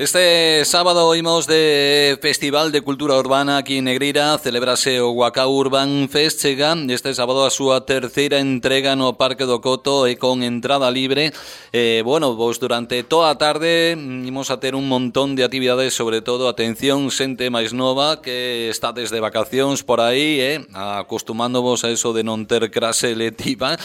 Este sábado imos de Festival de Cultura Urbana aquí en Negreira. Celebrase o Wacau Urban Fest. Chega este sábado a súa terceira entrega no Parque do Coto e con entrada libre. Bueno, pois durante toda a tarde imos a ter un montón de actividades, sobre todo, atención, xente máis nova que está desde vacacións por aí, acostumándovos a eso de non ter clase letiva,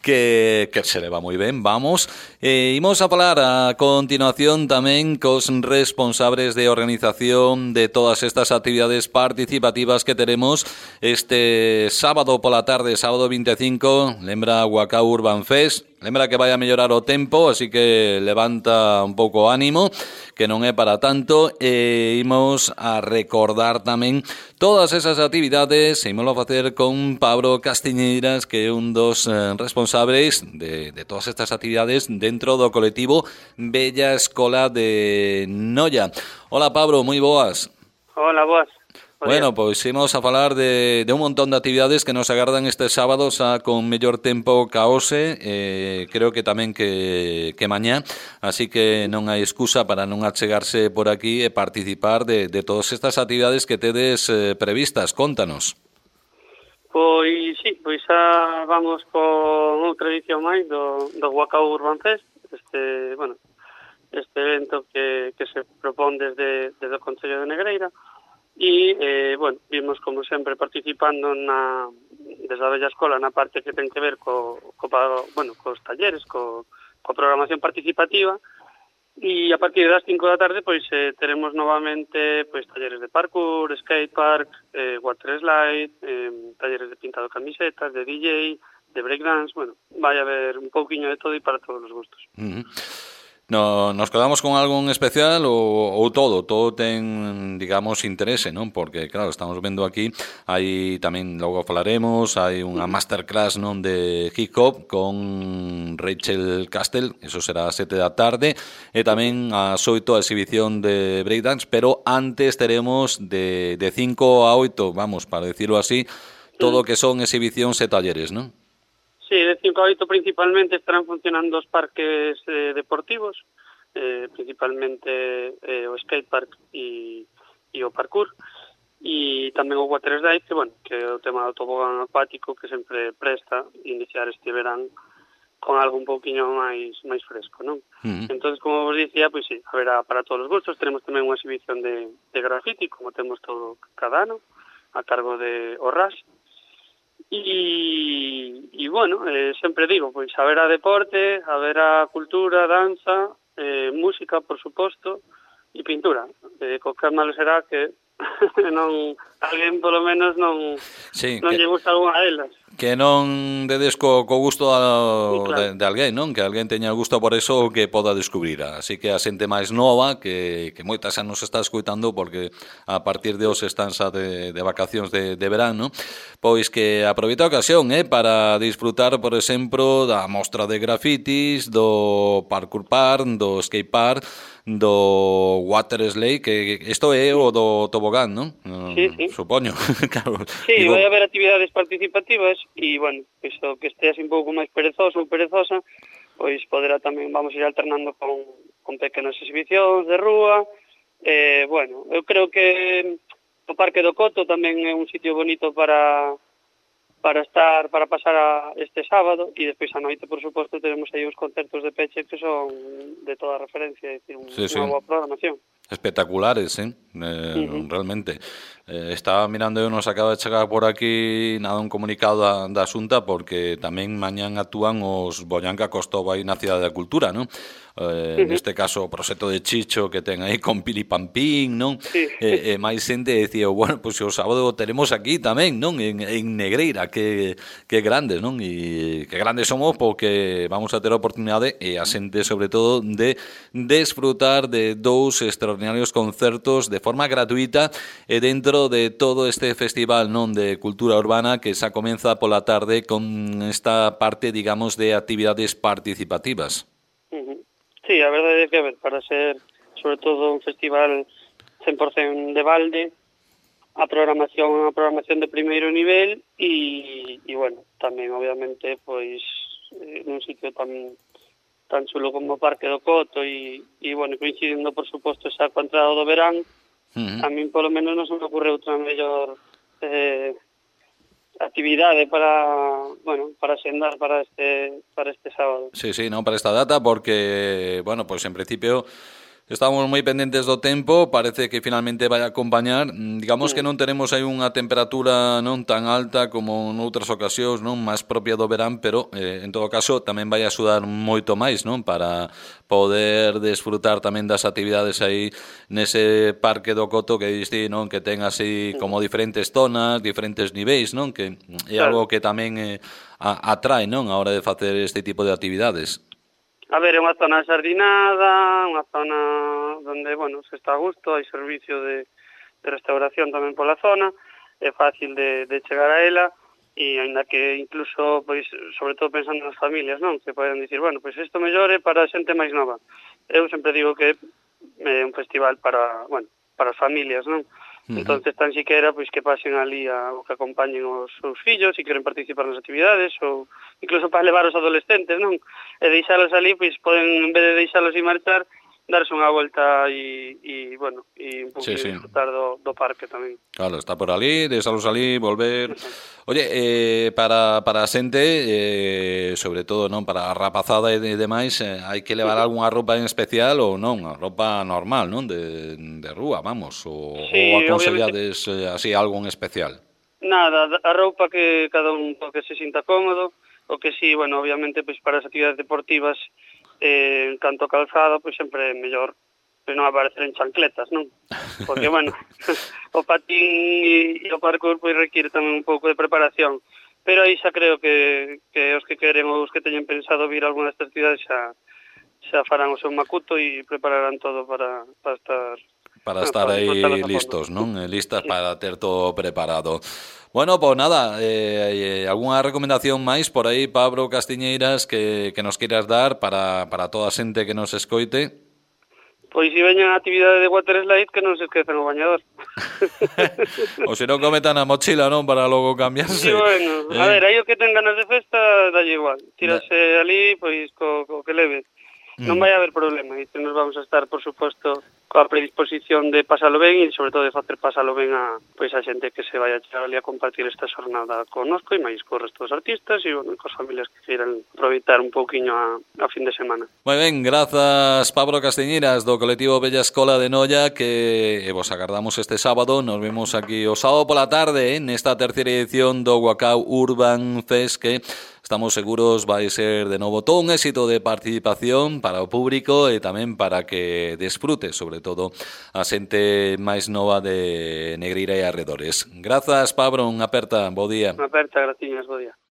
que se leva moi ben, vamos. Imos a falar a continuación tamén cos responsables de organización de todas estas actividades participativas que teremos este sábado pola tarde, sábado 25, lembra Wacau Urban Fest. Lembra que vai a mellorar o tempo, así que levanta un pouco o ánimo, que non é para tanto, e imos a recordar tamén todas esas actividades, e imos a facer con Pablo Castiñeiras, que é un dos responsables de todas estas actividades dentro do colectivo Bella Escola de Noia. Hola, Pablo, moi boas. Hola, boas. Bueno, pois imos a falar de un montón de actividades que nos agardan este sábado xa con mellor tempo ca hoxe, creo que tamén que mañá, así que non hai excusa para non achegarse por aquí e participar de todas estas actividades que tedes previstas. Contanos. Pois sí, pois xa vamos con outra edición máis do Wacau Urban Fest, este evento que se propón desde o Concello de Negreira. E, vimos, como sempre, participando desde a Bella Escola na parte que ten que ver cos talleres, coa programación participativa, e a partir das 5 da tarde pois teremos novamente pois talleres de parkour, skatepark, water slide, talleres de pintado de camisetas, de DJ, de breakdance, vai haber un pouquiño de todo e para todos os gustos. No, nos quedamos con algo en especial ou todo ten, digamos, interese, non? Porque, claro, estamos vendo aquí, hai tamén, logo falaremos, hai unha masterclass, non, de hip hop con Rachel Castell, eso será a 7 da tarde, e tamén a 8 a exhibición de breakdance, pero antes teremos de 5 a 8, vamos, para decirlo así, todo o que son exhibicións e talleres, non? Sí, de 5 a 8 principalmente estarán funcionando os parques deportivos, principalmente o skatepark e o parkour, e tamén o water slide, que é o tema do tobogán acuático que sempre presta iniciar este verán con algo un pouquiño máis fresco, non? Entonces, como vos dicía, pois sí, haberá para todos os gustos. Tenemos tamén unha exhibición de graffiti, como temos todo cada ano, a cargo de ORRAS. Sempre digo, pois haberá deporte, haberá cultura, danza, música, por suposto, e pintura. Co que malo será que alguén polo menos non lle gusta algunha delas. Que non dedes co gusto de alguén, non? Que alguén teña gusto por eso que poda descubrir. Así que a xente máis nova, que moitas xa nos está escuitando porque a partir de hoxe están xa de vacacións de verano, pois que aproveita a ocasión para disfrutar, por exemplo, da mostra de grafitis, do parkour park, do skate park, do water slide, que isto é o do tobogán, non? Sí. Supoño. Claro. Sí, vai haber actividades participativas e, pois o que este así un pouco máis perezoso ou perezosa, pois poderá tamén, vamos ir alternando con pequenas exhibicións de rúa. Eu creo que o Parque do Coto tamén é un sitio bonito para pasar este sábado, e despois a noite, por suposto, teremos aí uns concertos de peche que son de toda referencia, é dicir, unha boa programación. Espectaculares, realmente. Estaba mirando, nos acaba de chegar por aquí un comunicado da Xunta, porque tamén mañán actúan os Boyanca Costova aí na Cidade da Cultura, non? Neste caso o proxecto de Chicho que ten aí con Pilipampín, non? E máis xente decía, pois o sábado teremos aquí tamén, non? En Negreira, que grandes, non? E que grandes somos porque vamos a ter a oportunidade, e a xente sobre todo, de desfrutar de dous extraordinarios concertos de forma gratuita e dentro de todo este festival, non, de cultura urbana que xa comeza pola tarde con esta parte, digamos, de actividades participativas. Sí, a verdade é que, para ser, sobre todo, un festival 100% de balde, a programación de primeiro nivel e tamén, obviamente, pois, nun sitio tan tan chulo como o Parque do Coto bueno, coincidindo por suposto xa coa entrada do verán, a min polo menos non se me ocorre outra mellor actividade para xendar para este sábado. Sí, non, para esta data, porque, bueno, pois en principio estamos moi pendentes do tempo, parece que finalmente vai acompañar. Digamos que non tenemos aí unha temperatura non tan alta como noutras ocasións, non máis propia do verán, pero en todo caso tamén vai axudar moito máis, non, para poder desfrutar tamén das actividades aí nese Parque do Coto que diste, non, que ten así como diferentes zonas, diferentes niveis, non, que é algo que tamén atrae, non, a hora de facer este tipo de actividades. A ver, é unha zona xardinada, unha zona onde, bueno, se está a gusto, hai servicio de restauración tamén pola zona, é fácil de chegar a ela, e ainda que incluso, pois, sobre todo pensando nas familias, non? Que poden dicir, bueno, pois isto mellor é para a xente máis nova. Eu sempre digo que é un festival para as familias, non? Entonces, tan siquera, pois que pasen ali o que acompañen os seus fillos se queren participar nas actividades, ou incluso para levar os adolescentes, non? E deixalos ali, pois poden, en vez de deixalos e marchar, darse unha volta e un pouco disfrutar do parque tamén. Claro, está por ali, deixalos ali, volver. Oye, para a xente, sobre todo, non, para a rapazada e demais, hai que levar algunha roupa en especial ou non? A roupa normal, non? De rúa, vamos, ou aconsellades así algo en especial? Nada, a roupa que cada un que se sinta cómodo, o que sí, bueno, obviamente, pois para as actividades deportivas, en canto calzado, pois sempre é mellor non aparecer en chancletas, non? Porque, bueno, o patín e o parkour pois requiere tamén un pouco de preparación, pero aí xa creo que os que queren ou os que teñen pensado vir a alguna destas actividades xa farán o seu macuto e prepararán todo para estar aí listos, non? Listas para ter todo preparado. Bueno, pues nada, algunha recomendación máis por aí, Pablo Castiñeiras, que nos queiras dar para toda a xente que nos escoite? Pois se veñan a actividade de water slide, que non se esquecen o bañador. O se non cometan a mochila, non? Para logo cambiarse. Sí, bueno, a ver, aí o que ten ganas de festa, dalle igual. Tírase ali, pois, co que leve. Non vai haber problema, e nos vamos a estar, por suposto, coa predisposición de pasalo ben e, sobre todo, de facer pasalo ben a xente que se vai a chegar ali a compartir esta xornada connosco e máis co resto dos artistas e, bueno, cos familias que queiran aproveitar un pouquiño a fin de semana. Moi ben, grazas, Pablo Castiñeiras, do colectivo Bella Escola de Noia, que vos agardamos este sábado. Nos vemos aquí o sábado pola tarde, nesta terceira edición do Wacau Urban Fest, que estamos seguros vai ser de novo todo un éxito de participación para o público e tamén para que desfrute, sobre todo, a xente máis nova de Negreira e arredores. Grazas, Pablo, unha aperta, bo día. Unha aperta, graciñas, bo día.